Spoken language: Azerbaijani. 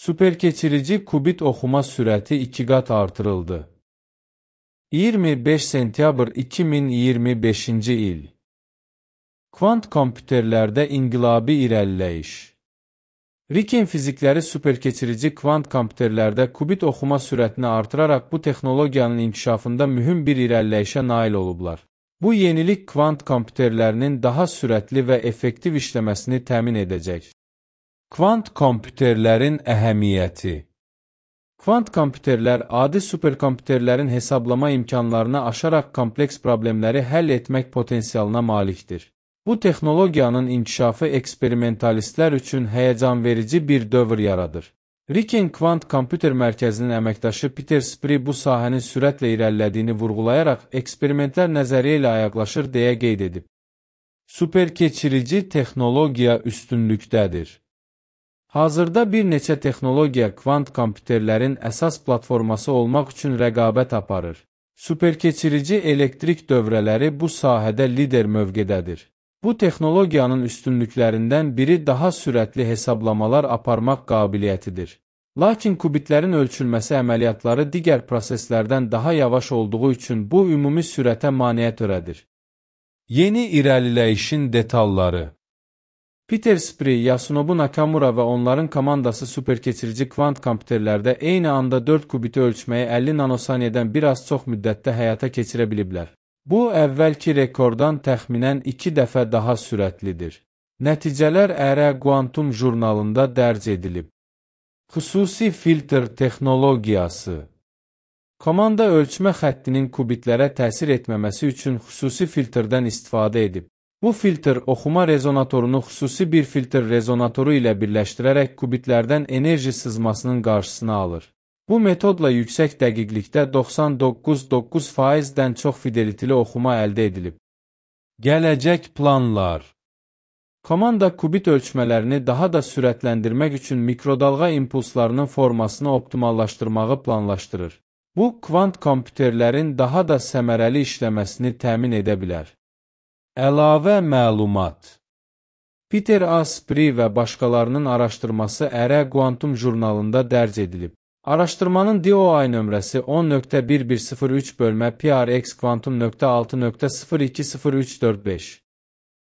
Superkeçirici kubit oxuma sürəti 2 qat artırıldı. 25 sentyabr 2025-ci il. Kvant kompüterlərdə inqilabi irəliləyiş. Riken fizikləri superkeçirici kvant kompüterlərdə kubit oxuma sürətini artıraraq bu texnologiyanın inkişafında mühüm bir irəliləyişə nail olublar. Bu yenilik kvant kompüterlərinin daha sürətli və effektiv işləməsini təmin edəcək. Kvant kompüterlərin əhəmiyyəti. Kvant kompüterlər adi superkompüterlərin hesablama imkanlarını aşaraq kompleks problemləri həll etmək potensialına malikdir. Bu texnologiyanın inkişafı eksperimentalistlər üçün həyəcanverici bir dövr yaradır. Riken Kvant Kompüter Mərkəzinin əməkdaşı Peter Spree bu sahənin sürətlə irəlilədiyini vurğulayaraq eksperimentlər nəzəriyyə ilə ayaqlaşır deyə qeyd edib. Superkeçirici texnologiya üstünlükdədir. Hazırda bir neçə texnologiya kvant kompüterlərin əsas platforması olmaq üçün rəqabət aparır. Superkeçirici elektrik dövrələri bu sahədə lider mövqedədir. Bu texnologiyanın üstünlüklərindən biri daha sürətli hesablamalar aparmaq qabiliyyətidir. Lakin kubitlərin ölçülməsi əməliyyatları digər proseslərdən daha yavaş olduğu üçün bu ümumi sürətə maneə törədir. Yeni irəliləyişin detalları. Peter Spree, Yasunobu Nakamura və onların komandası superkeçirici kvant kompüterlərdə eyni anda 4 kubiti ölçməyi 50 nanosaniyədən bir az çox müddətdə həyata keçirə biliblər. Bu, əvvəlki rekorddan təxminən 2 dəfə daha sürətlidir. Nəticələr Ərə Quantum jurnalında dərc edilib. Xüsusi filtr texnologiyası. Komanda ölçmə xəttinin kubitlərə təsir etməməsi üçün xüsusi filtrdən istifadə edib. Bu filtr oxuma rezonatorunu xüsusi bir filtr rezonatoru ilə birləşdirərək kubitlərdən enerji sızmasının qarşısını alır. Bu metodla yüksək dəqiqlikdə 99,9%-dən çox fideliteli oxuma əldə edilib. Gələcək planlar. Komanda kubit ölçmələrini daha da sürətləndirmək üçün mikrodalğa impulslarının formasını optimallaşdırmağı planlaşdırır. Bu, kvant kompüterlərin daha da səmərəli işləməsini təmin edə bilər. Əlavə məlumat. Peter A. Spree və başqalarının araşdırması Ərə Quantum jurnalında dərc edilib. Araşdırmanın DOI nömrəsi 10.1103/PRX Quantum.6.020345.